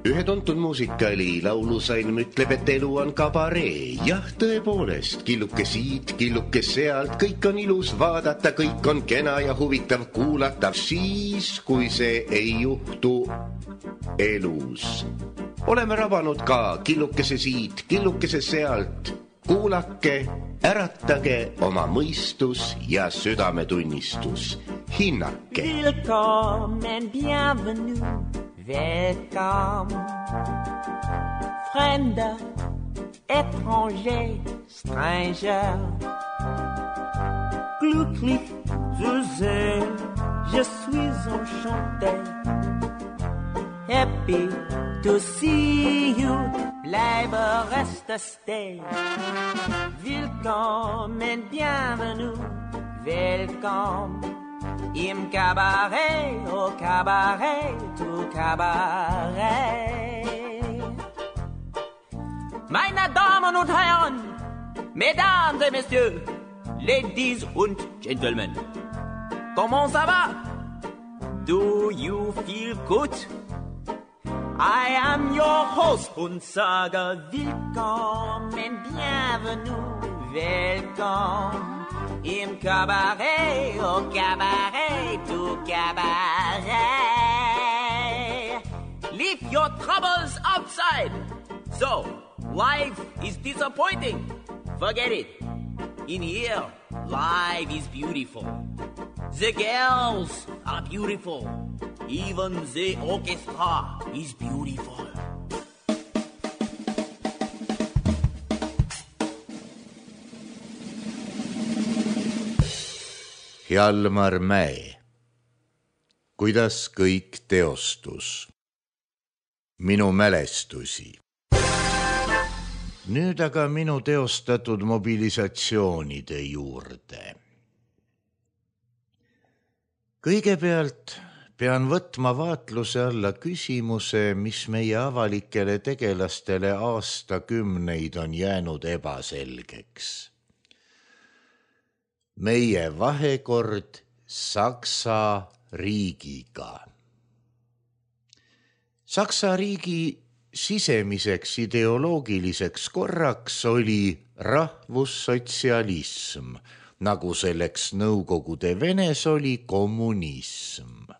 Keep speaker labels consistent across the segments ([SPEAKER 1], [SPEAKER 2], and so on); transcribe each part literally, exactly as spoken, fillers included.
[SPEAKER 1] Ühe tuntud muusikali laulusalm ütleb, et elu on kabaree. Jah, tõepoolest, killuke siit, killuke sealt, kõik on ilus vaadata, kõik on kena ja huvitav kuulata. Siis, kui see ei juhtu elus. Oleme rabanud ka killukese siit, killukese sealt. Kuulake, äratage oma mõistus ja südametunnistus. Hinnake.
[SPEAKER 2] Willkommen, bienvenue. Welcome, Fremder, étranger, stranger. Glücklich zu sehen, je suis enchanté. Happy to see you, bleibe, reste, stay. Willkommen, bienvenue, welcome. Im Kabarett, au Kabarett, au Kabarett. Meine Damen und Herren, Mesdames et Messieurs, Ladies und Gentlemen, comment ça va? Do you feel good? I am your host und sage willkommen, bienvenue, welcome. Im Kabarett, au Kabarett, au Kabarett. Leave your troubles outside. So, life is disappointing. Forget it. In here, life is beautiful. The girls are beautiful. Even the orchestra is beautiful.
[SPEAKER 1] Hjalmar Mäe. Kuidas kõik teostus? Minu mälestusi. Nüüd aga minu teostatud mobilisatsioonide juurde. Kõigepealt pean võtma vaatluse alla küsimuse, mis meie avalikele tegelastele aastakümneid on jäänud ebaselgeks. Meie vahekord Saksa riigiga. Saksa riigi sisemiseks ideoloogiliseks korraks oli rahvussotsialism, nagu selleks Nõukogude Venes oli kommunism.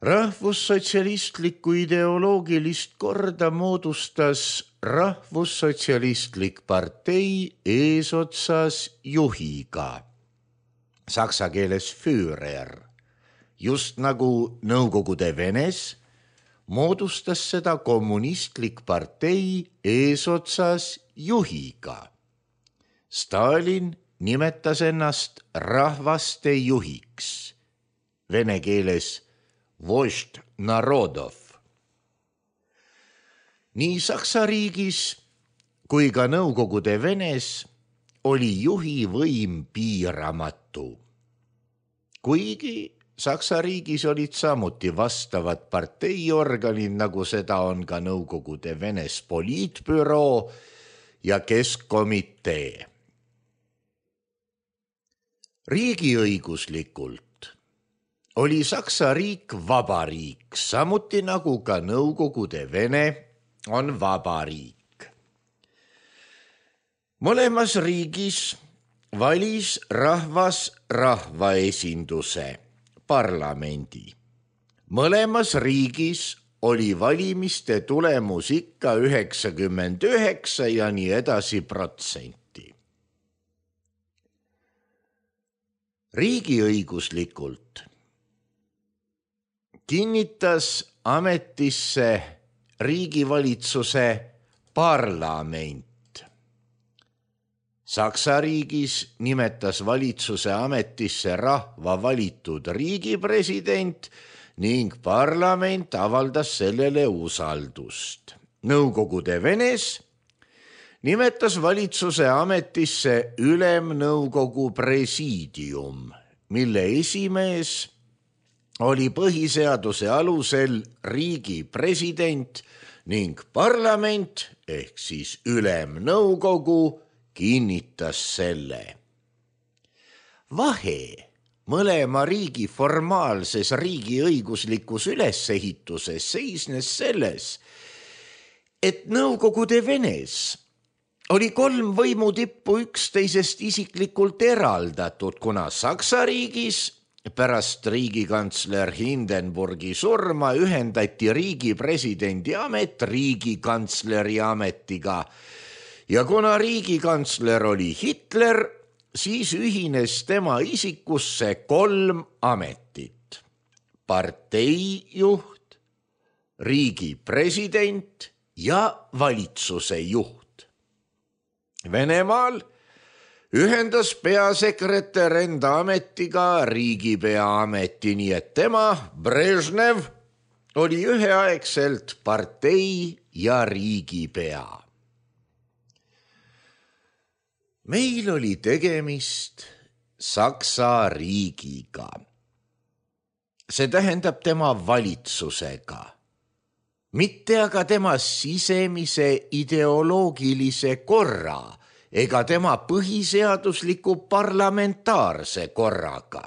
[SPEAKER 1] Rahvussotsialistlikku ideoloogilist korda moodustas rahvussotsialistlik partei eesotsas juhiga, saksa keeles Führer. Just nagu Nõukogude Venes moodustas seda kommunistlik partei eesotsas juhiga. Stalin nimetas ennast rahvaste juhiks, vene keeles Vožd narodov. Nii Saksa riigis kui ka Nõukogude Venes oli juhi võim piiramatu. Kuigi Saksa riigis olid samuti vastavad parteiorganid, nagu seda on ka Nõukogude Venes poliitbüroo ja keskkomitee. Riigiõiguslikult oli Saksa riik vabariik, samuti nagu ka Nõukogude Vene on vabariik. Mõlemas riigis valis rahvas rahvaesinduse, parlamendi. Mõlemas riigis oli valimiste tulemus ikka üheksakümmend üheksa ja nii edasi protsenti. Riigiõiguslikult kinnitas ametisse riigivalitsuse parlament. Saksa riigis nimetas valitsuse ametisse rahva valitud riigipresident ning parlament avaldas sellele usaldust. Nõukogude Venes nimetas valitsuse ametisse ülemnõukogu presiidium, mille esimees oli põhiseaduse alusel riigi president ning parlament ehk siis ülemnõukogu kinnitas selle. Vahe
[SPEAKER 3] mõlema riigi formaalses riigiõiguslikus ülesehituses seisnes selles, et Nõukogude Venes oli kolm võimutippu üksteisest isiklikult eraldatud, kuna Saksa riigis pärast riigikantsler Hindenburgi surma ühendati riigi presidendi amet riigikantsleri ametiga ja kuna riigikantsler oli Hitler, siis ühines tema isikusse kolm ametit: parteijuht, riigi president ja valitsuse juht. Venemaal ühendas peasekretär enda ametiga riigipea ameti, nii et tema, Brežnev, oli üheaegselt partei ja riigipea. Meil oli tegemist Saksa riigiga. See tähendab tema valitsusega, mitte aga tema sisemise ideoloogilise korra ega tema põhiseadusliku parlamentaarse korraga.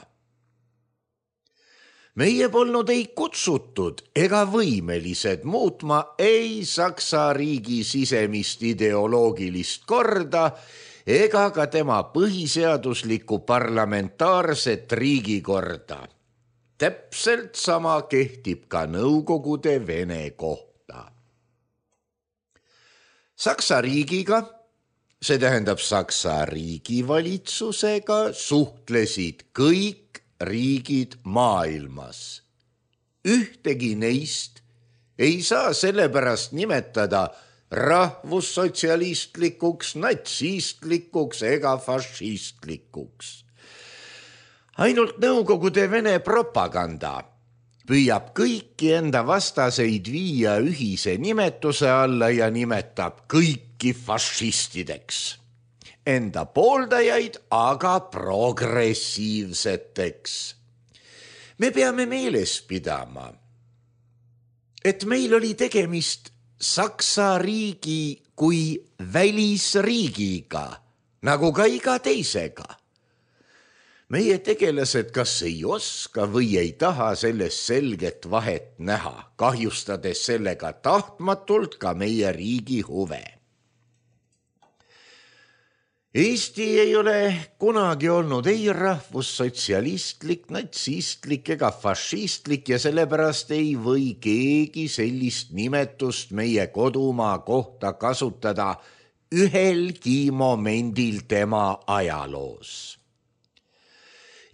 [SPEAKER 3] Meie polnud ei kutsutud ega võimelised muutma ei Saksa riigi sisemist ideoloogilist korda ega ka tema põhiseaduslikku parlamentaarset riigikorda. Täpselt sama kehtib ka Nõukogude Vene kohta. Saksa riigiga, see tähendab Saksa riigivalitsusega, suhtlesid kõik riigid maailmas. Ühtegi neist ei saa sellepärast nimetada rahvussotsialistlikuks, natsistlikuks ega fašistlikuks. Ainult Nõukogude Vene propaganda püüab kõiki enda vastaseid viia ühise nimetuse alla ja nimetab kõiki fašistideks. Enda pooldajaid aga progressiivseteks. Me peame meeles pidama, et meil oli tegemist Saksa riigi kui välisriigiga, nagu ka iga teisega. Meie tegelased kas ei oska või ei taha sellest selget vahet näha, kahjustades sellega tahtmatult ka meie riigi huve. Eesti ei ole kunagi olnud ei rahvussotsialistlik, natsistlik ega fašistlik ja sellepärast ei või keegi sellist nimetust meie kodumaa kohta kasutada ühelgi momendil tema ajaloos.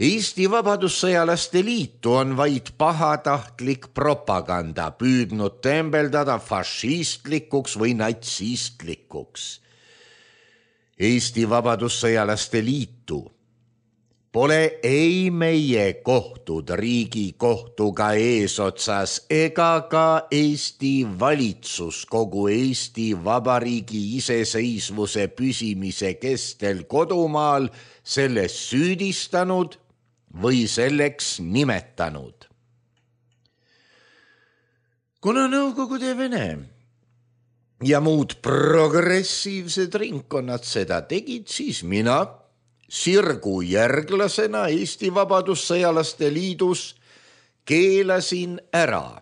[SPEAKER 3] Eesti Vabadussõjalaste Liitu on vaid pahatahtlik propaganda püüdnud tembeldada fašistlikuks või natsistlikuks. Eesti Vabadussõjalaste Liitu pole ei meie kohtud Riigikohtuga eesotsas ega ka Eesti valitsus kogu Eesti Vabariigi iseseisvuse püsimise kestel kodumaal selles süüdistanud või selleks nimetanud. Kuna Nõukogude Vene ja muud progressiivsed ringkonnad seda tegid, siis mina sirgu järglasena Eesti Vabadussõjalaste Liidus keelasin ära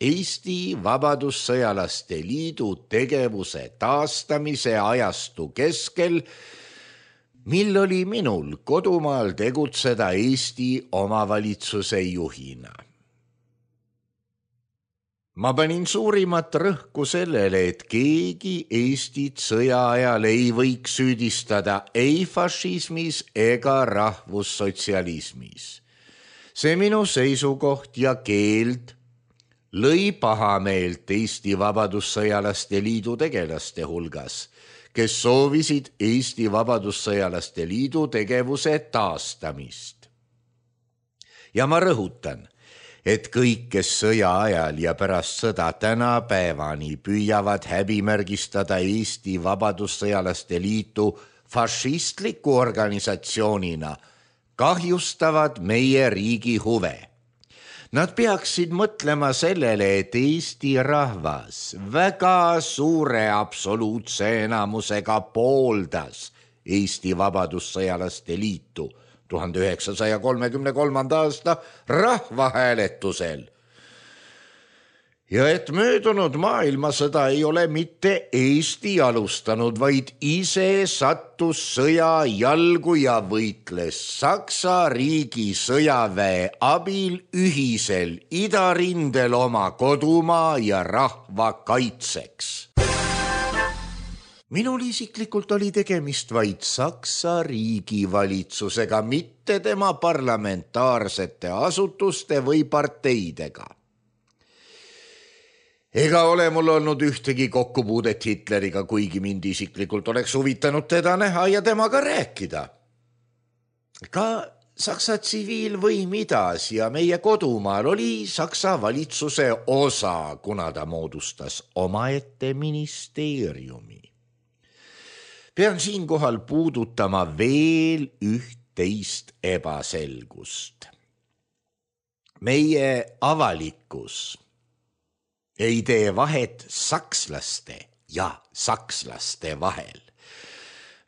[SPEAKER 3] Eesti Vabadussõjalaste Liidu tegevuse taastamise ajastu keskel, mil oli minul kodumaal tegutseda Eesti omavalitsuse juhina. Ma panin suurimat rõhku sellele, et keegi Eestit sõja ajal ei võiks süüdistada ei fašismis ega rahvussotsialismis. See minu seisukoht ja keeld lõi pahameelt Eesti Vabadussõjalaste Liidu tegelaste hulgas, kes soovisid Eesti Vabadussõjalaste Liidu tegevuse taastamist. Ja ma rõhutan, et kõik, kes sõja ajal ja pärast sõda tänapäevani püüavad häbimärgistada Eesti Vabadussõjalaste Liitu fašistliku organisatsioonina, kahjustavad meie riigi huve. Nad peaksid mõtlema sellele, et Eesti rahvas väga suure absoluutse enamusega pooldas Eesti Vabadussõjalaste Liitu tuhande üheksasaja kolmekümne kolmanda aasta rahvahääletusel. Ja et möödunud maailmasõda ei ole mitte Eesti alustanud, vaid ise sattus sõja jalgu ja võitles Saksa riigi sõjaväe abil ühisel idarindel oma kodumaa ja rahva kaitseks. Minul isiklikult oli tegemist vaid Saksa riigi valitsusega, mitte tema parlamentaarsete asutuste või parteidega. Ega ole mul olnud ühtegi kokkupuudet Hitleriga, kuigi mind isiklikult oleks huvitanud teda näha ja temaga rääkida. Ka Saksa tsiviilvõim idas ja meie kodumaal oli Saksa valitsuse osa, kuna ta moodustas omaette ministeeriumi. Pean siinkohal puudutama veel üht-teist ebaselgust. Meie avalikkus ei tee vahet sakslaste ja sakslaste vahel.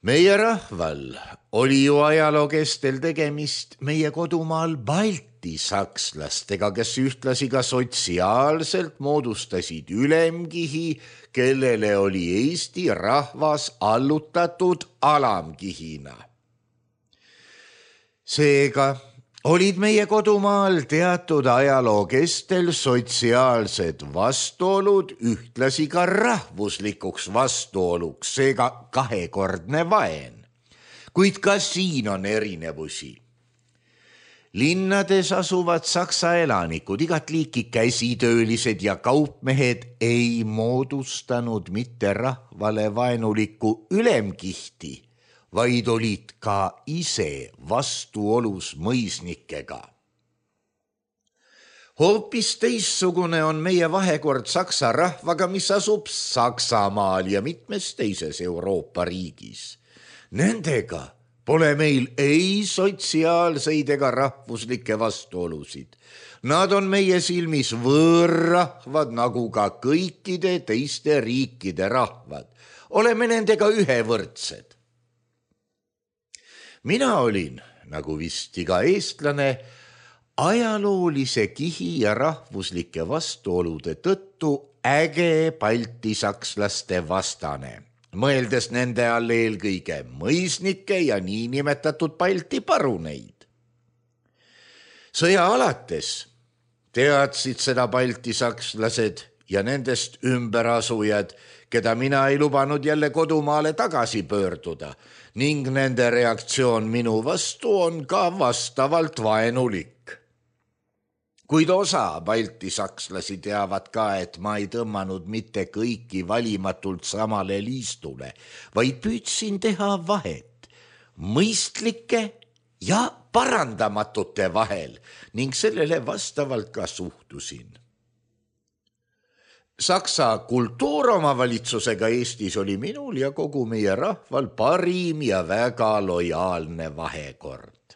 [SPEAKER 3] Meie rahval oli ju ajaloo kestel tegemist meie kodumaal Balti sakslastega, kes ühtlasi ka sotsiaalselt moodustasid ülemkihi, kellele oli Eesti rahvas allutatud alamkihina. Seega olid meie kodumaal teatud ajaloo kestel sotsiaalsed vastuolud ühtlasi ka rahvuslikuks vastuoluks, seega kahekordne vaen. Kuid ka siin on erinevusi. Linnades asuvad Saksa elanikud, igat liiki käsitöölised ja kaupmehed ei moodustanud mitte rahvale vaenulikku ülemkihti, vaid olid ka ise vastuolus mõisnikega. Hoopis teissugune on meie vahekord Saksa rahvaga, mis asub Saksamaal ja mitmes teises Euroopa riigis. Nendega pole meil ei sotsiaalseid ega rahvuslikke vastuolusid. Nad on meie silmis võõrrahvad, nagu ka kõikide teiste riikide rahvad. Oleme nendega ühevõrdsed. Mina olin, nagu vist iga eestlane, ajaloolise kihi ja rahvuslike vastuolude tõttu äge baltisakslaste vastane, mõeldes nende all eelkõige mõisnikke ja niinimetatud Balti paruneid. Sõja alates teadsid seda baltisakslased ja nendest ümberasujad, keda mina ei lubanud jälle kodumaale tagasi pöörduda, ning nende reaktsioon minu vastu on ka vastavalt vaenulik. Kuid osa baltisakslasi teavad ka, et ma ei tõmmanud mitte kõiki valimatult samale liistule, vaid püüdsin teha vahet mõistlike ja parandamatute vahel ning sellele vastavalt ka suhtusin. Saksa kultuuromavalitsusega Eestis oli minul ja kogu meie rahval parim ja väga lojaalne vahekord.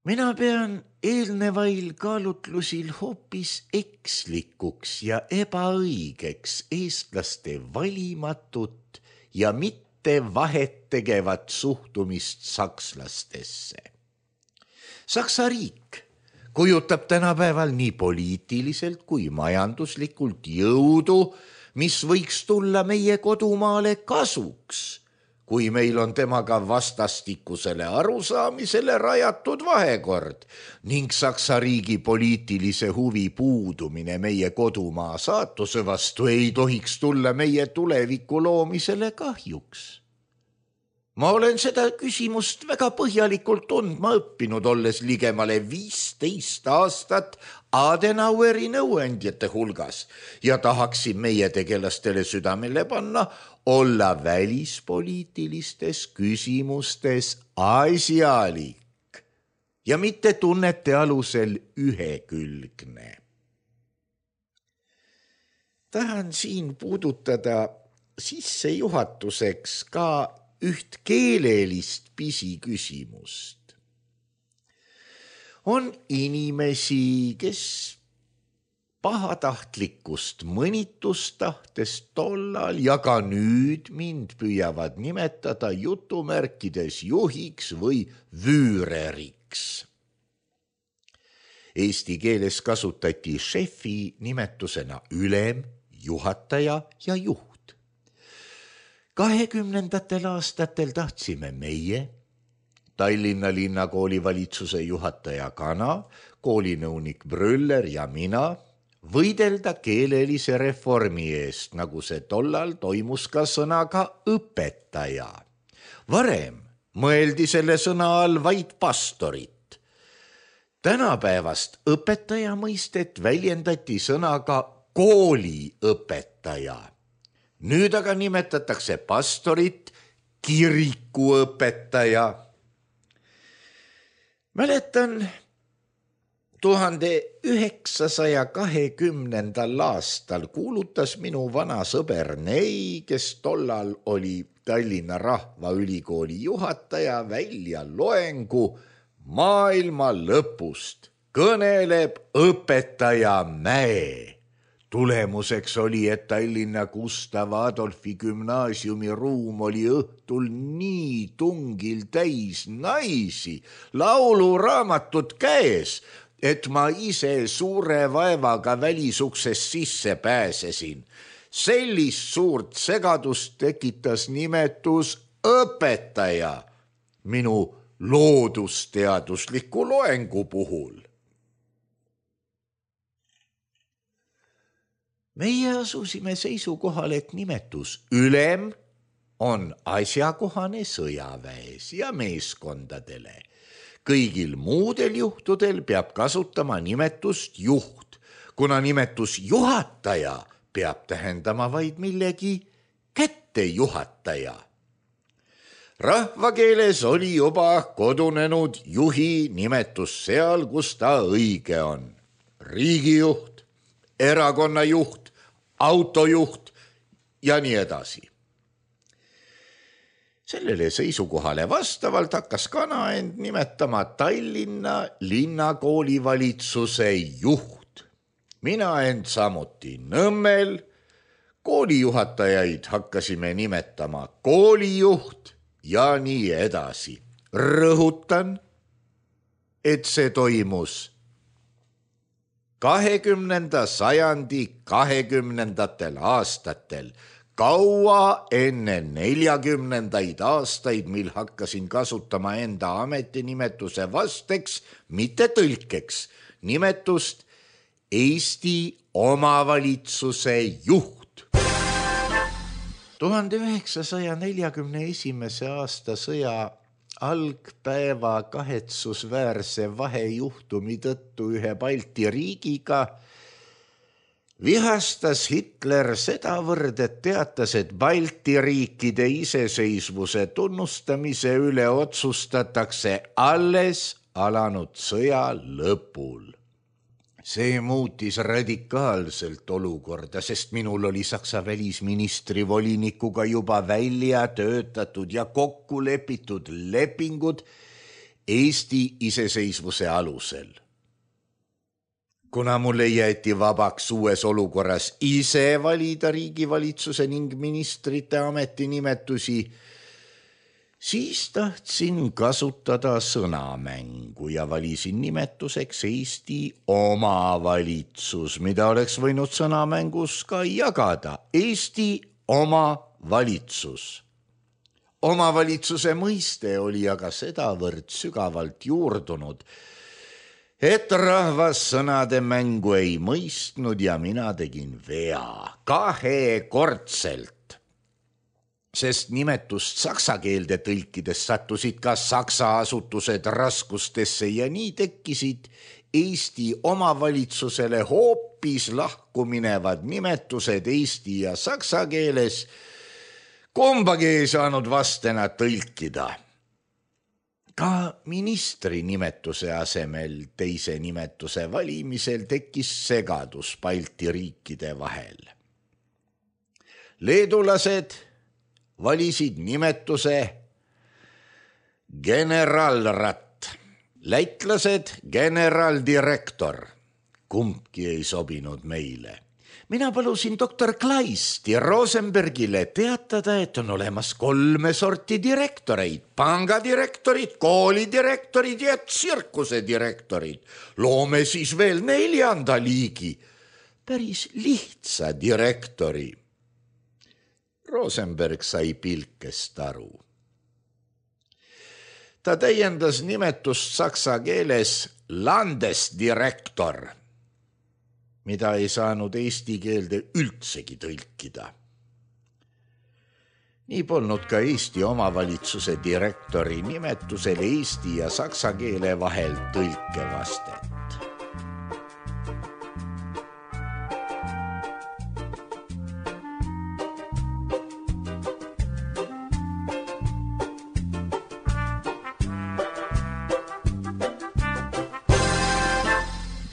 [SPEAKER 3] Mina pean eelnevail kaalutlusil hoopis ekslikuks ja ebaõigeks eestlaste valimatut ja mitte vahet tegevat suhtumist sakslastesse. Saksa riik kujutab tänapäeval nii poliitiliselt kui majanduslikult jõudu, mis võiks tulla meie kodumaale kasuks, kui meil on temaga vastastikusele arusaamisele rajatud vahekord ning Saksa riigi poliitilise huvi puudumine meie kodumaa saatuse vastu ei tohiks tulla meie tuleviku loomisele kahjuks. Ma olen seda küsimust väga põhjalikult tundma õppinud, olles ligemale viisteist aastat Adenaueri nõuandjate hulgas ja tahaksin meie tegelastele südamele panna olla välispoliitilistes küsimustes asjalik ja mitte tunnete alusel ühekülgne. Tahan siin puudutada sissejuhatuseks ka üht keelelist pisiküsimust. On inimesi, kes pahatahtlikust mõnitustahtes tollal ja ka nüüd mind püüavad nimetada jutumärkides juhiks või vüüreriks. Eesti keeles kasutati šefi nimetusena ülem, juhataja ja juht. kahekümnendatel aastatel tahtsime meie, Tallinna linnakooli valitsuse juhataja Kana, koolinõunik Brüller ja mina võidelda keelelise reformi eest, nagu see tollal toimus ka sõnaga õpetaja. Varem mõeldi selle sõna all vaid pastorit. Tänapäevast õpetaja mõistet väljendati sõnaga kooliõpetaja. Nüüd aga nimetatakse pastorit kirikuõpetaja. Mäletan, tuhande üheksasaja kahekümnendal aastal kuulutas minu vana sõber Nei, kes tollal oli Tallinna Rahvaülikooli juhataja, välja loengu maailma lõpust. Kõneleb õpetaja Mäe. Tulemuseks oli, et Tallinna Gustav Adolfi gümnaasiumi ruum oli õhtul nii tungil täis naisi, lauluraamatut käes, et ma ise suure vaevaga välisuksest sisse pääsesin. Sellist suurt segadust tekitas nimetus õpetaja minu loodusteadusliku loengu puhul. Meie asusime seisukohal, et nimetus ülem on asjakohane sõjaväes ja meeskondadele. Kõigil muudel juhtudel peab kasutama nimetust juht, kuna nimetus juhataja peab tähendama vaid millegi kättejuhataja. Rahvakeeles oli juba kodunenud juhi nimetus seal, kus ta õige on. Riigijuht, erakonnajuht, autojuht ja nii edasi. Sellele seisukohale vastavalt hakkas Kana end nimetama Tallinna linnakooli valitsuse juht. Mina end samuti Nõmmel. Koolijuhatajaid hakkasime nimetama koolijuht ja nii edasi. Rõhutan, et see toimus kahekümnenda sajandi kahekümnendatel aastatel, kaua enne neljakümnendaid aastaid, mil hakkasin kasutama enda ametinimetuse vasteks, mitte tõlkeks, nimetust Eesti omavalitsuse juht. tuhande üheksasaja neljakümne esimese aasta sõja algpäeva kahetsusväärse vahejuhtumi tõttu ühe Balti riigiga vihastas Hitler sedavõrd, et teatas, et Balti riikide iseseisvuse tunnustamise üle otsustatakse alles alanud sõja lõpul. See muutis radikaalselt olukorda, sest minul oli Saksa välisministri volinikuga juba välja töötatud ja kokku lepitud lepingud Eesti iseseisvuse alusel. Kuna mulle jäeti vabaks uues olukorras ise valida riigivalitsuse ning ministrite ametinimetusi, siis tahtsin kasutada sõnamängu ja valisin nimetuseks Eesti omavalitsus, mida oleks võinud sõnamängus ka jagada. Eesti omavalitsus. Omavalitsuse mõiste oli aga sedavõrd sügavalt juurdunud, et rahvas sõnade mängu ei mõistnud ja mina tegin vea kahekordselt. Sest nimetust saksa keelde tõlkides sattusid ka saksa asutused raskustesse ja nii tekkisid Eesti omavalitsusele hoopis lahku minevad nimetused eesti ja saksa keeles. Kumbagi ei saanud vastena tõlkida. Ka ministri nimetuse asemel teise nimetuse valimisel tekkis segadus Balti riikide vahel. Leedulased valisid nimetuse generalrat, lätlased generaldirektor, kumbki ei sobinud meile. Mina palusin doktor Kleisti Rosenbergile teatada, et on olemas kolme sorti direktoreid, pangadirektorid, koolidirektorid ja tsirkuse direktorid. Loome siis veel neljanda liigi, päris lihtsa direktori. Rosenberg sai pilkest aru. Ta täiendas nimetust saksa keeles landesdirektor, mida ei saanud eesti keelde üldsegi tõlkida. Nii polnud ka Eesti omavalitsuse direktori nimetusel eesti ja saksa keele vahel tõlkevastet.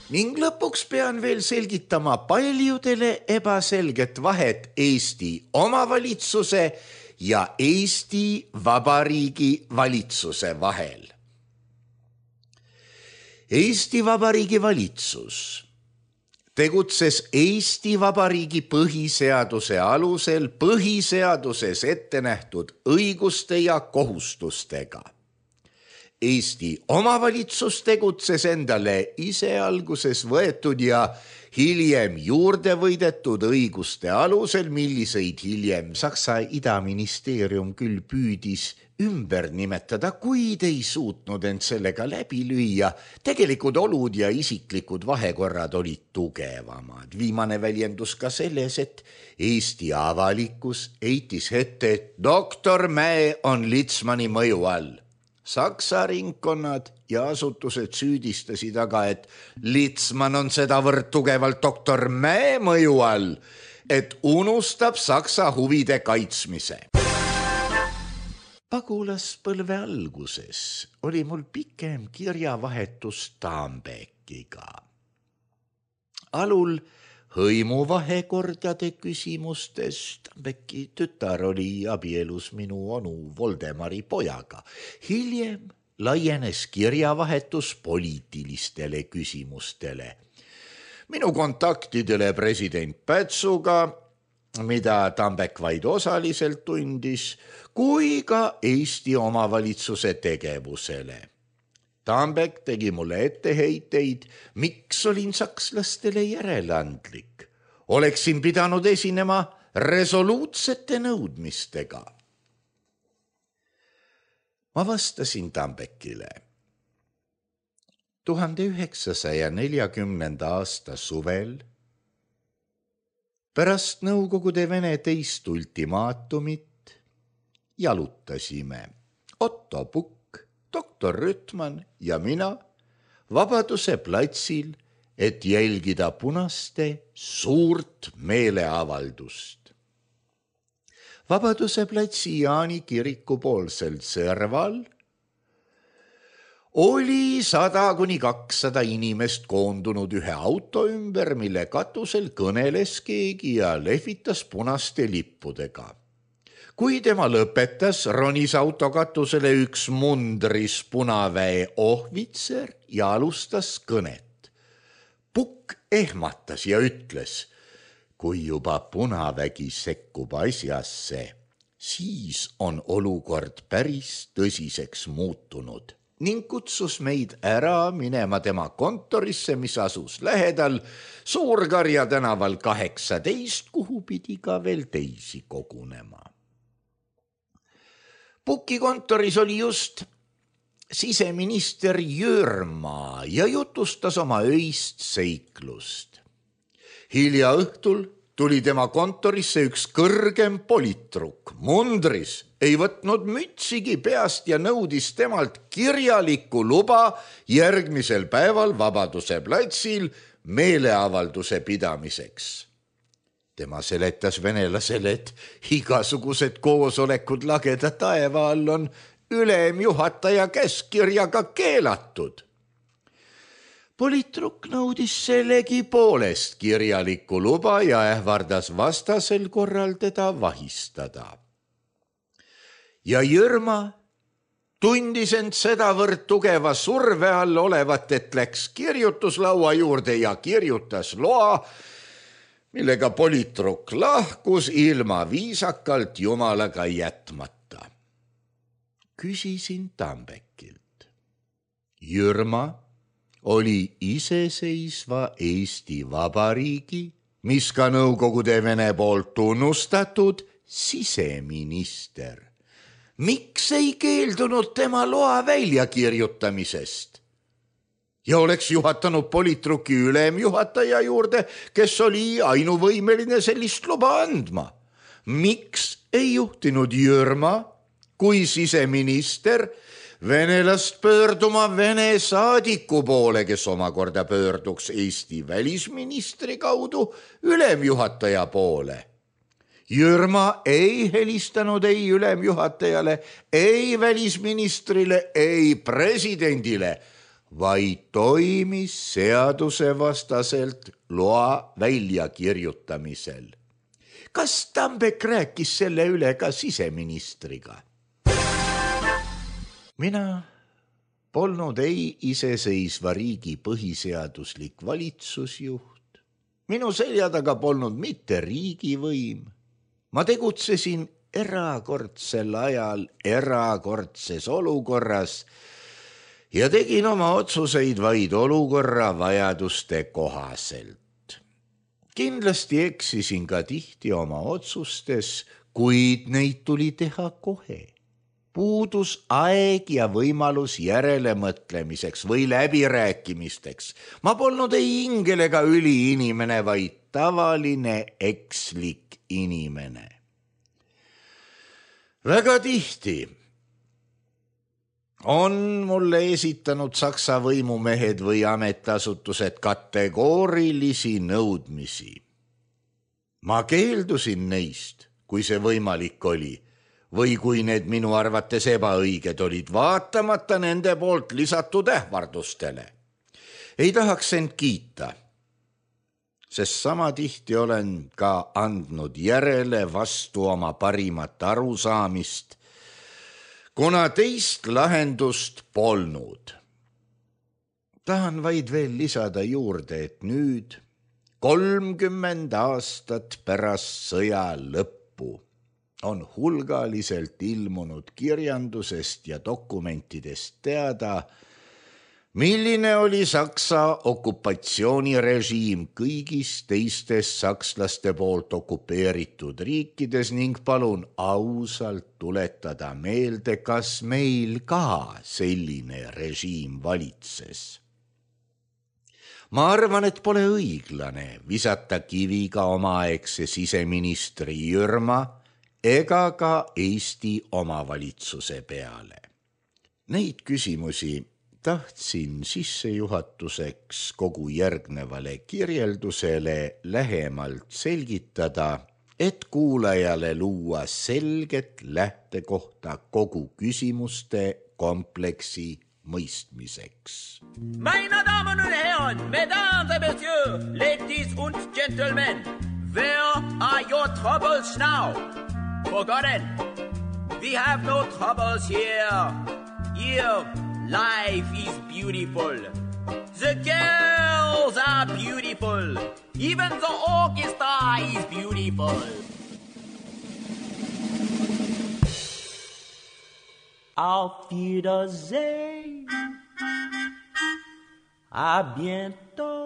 [SPEAKER 3] Ning lõpuks pean veel selgitama paljudele ebaselget vahet Eesti omavalitsuse ja Eesti Vabariigi valitsuse vahel. Eesti Vabariigi valitsus tegutses Eesti Vabariigi põhiseaduse alusel põhiseaduses ette nähtud õiguste ja kohustustega. Eesti omavalitsus tegutses endale ise alguses võetud ja hiljem juurde võidetud õiguste alusel, milliseid hiljem Saksa idaministeerium küll püüdis ümber nimetada, kuid ei suutnud end sellega läbi lüüa. Tegelikud olud ja isiklikud vahekorrad olid tugevamad. Viimane väljendus ka selles, et Eesti avalikkus heitis ette, et doktor Mäe on Litzmanni mõju all. Saksa ringkonnad ja asutused süüdistasid aga, et Litzmann on sedavõrd tugevalt doktor Mäe mõju all, et unustab Saksa huvide kaitsmise. Pagulaspõlve alguses oli mul pikem kirjavahetus Tambeckiga. Alul hõimuvahekordade küsimustes. Tambecki tütar oli abielus minu onu Voldemari pojaga. Hiljem laienes kirjavahetus poliitilistele küsimustele. Minu kontaktidele president Pätsuga, mida Tambeck vaid osaliselt tundis, kui ka Eesti omavalitsuse tegevusele. Tambeck tegi mulle etteheiteid, miks olin sakslastele järeleandlik. Oleksin pidanud esinema resoluutsete nõudmistega. Ma vastasin Tambeckile. tuhande üheksasaja neljakümnenda aasta suvel pärast Nõukogude Vene teist ultimaatumit jalutasime Otto Pukk, doktor Rüttmann ja mina Vabaduse platsil, et jälgida punaste suurt meeleavaldust. Vabaduse platsi Jaani kiriku poolsel serval oli sada kuni kakssada inimest koondunud ühe auto ümber, mille katusel kõneles keegi ja lehvitas punaste lippudega. Kui tema lõpetas, ronis autokatusele üks mundris punaväe ohvitser ja alustas kõnet. Pukk ehmatas ja ütles, kui juba punavägi sekkub asjasse, siis on olukord päris tõsiseks muutunud ning kutsus meid ära minema tema kontorisse, mis asus lähedal Suurkarja tänaval kaheksateist, kuhu pidi ka veel teisi kogunema. Puki kontoris oli just siseminister Jürma ja jutustas oma öist seiklust. Hilja õhtul tuli tema kontorisse üks kõrgem politruk. Mundris ei võtnud mütsigi peast ja nõudis temalt kirjalikku luba järgmisel päeval Vabaduse platsil meeleavalduse pidamiseks. Tema seletas venelasele, et igasugused koosolekud lageda taeva all on ülemjuhataja käskkirjaga keelatud. Politruk nõudis sellegi poolest kirjalikku luba ja ähvardas vastasel korral teda vahistada. Ja Jürma tundis end sedavõrd tugeva surve all olevat, et läks kirjutuslaua juurde ja kirjutas loa, millega politruk lahkus ilma viisakalt jumalaga jätmata. Küsisin Tambekilt. Jürma oli iseseisva Eesti Vabariigi, mis ka Nõukogude Vene poolt tunnustatud siseminister. Miks ei keeldunud tema loa väljakirjutamisest? Ja oleks juhatanud politruki ülemjuhataja juurde, kes oli ainuvõimeline sellist luba andma. Miks ei juhtinud Jürma kui siseminister venelast pöörduma Vene saadiku poole, kes omakorda pöörduks Eesti välisministri kaudu ülemjuhataja poole? Jürma ei helistanud ei ülemjuhatajale, ei välisministrile, ei presidendile, vaid toimis seadusevastaselt loa väljakirjutamisel. Kas Tambek rääkis selle üle ka siseministriga? Mina polnud ei iseseisva riigi põhiseaduslik valitsusjuht. Minu selja taga polnud mitte riigivõim. Ma tegutsesin erakordsel ajal erakordses olukorras ja tegin oma otsuseid vaid olukorra vajaduste kohaselt. Kindlasti eksisin ka tihti oma otsustes, kuid neid tuli teha kohe. Puudus aeg ja võimalus järelemõtlemiseks või läbirääkimisteks. Ma polnud ei ingel ega üliinimene, vaid tavaline ekslik inimene. Väga tihti on mulle esitanud Saksa võimumehed või ametiasutused kategoorilisi nõudmisi. Ma keeldusin neist, kui see võimalik oli, või kui need minu arvates ebaõiged olid, vaatamata nende poolt lisatud ähvardustele. Ei tahaks end kiita, sest sama tihti olen ka andnud järele vastu oma parimat arusaamist, kuna teist lahendust polnud. Tahan vaid veel lisada juurde, et nüüd, kolmkümmend aastat pärast sõja lõppu, on hulgaliselt ilmunud kirjandusest ja dokumentidest teada, milline oli Saksa okupatsioonirežiim kõigis teistes sakslaste poolt okupeeritud riikides ning palun ausalt tuletada meelde, kas meil ka selline režiim valitses. Ma arvan, et pole õiglane visata kiviga omaaegse siseministri Jürma ega ka Eesti omavalitsuse peale. Neid küsimusi tahtsin sissejuhatuseks kogu järgnevale kirjeldusele lähemalt selgitada, et kuulajale luua selget lähtekohta kogu küsimuste kompleksi mõistmiseks.
[SPEAKER 2] Meine Damen und Herren, Mesdames et Messieurs, Ladies und Gentlemen, where are your troubles now? Forgotten, we have no troubles here. Here, life is beautiful. The girls are beautiful. Even the orchestra is beautiful. Auf Wiedersehen. À bientôt.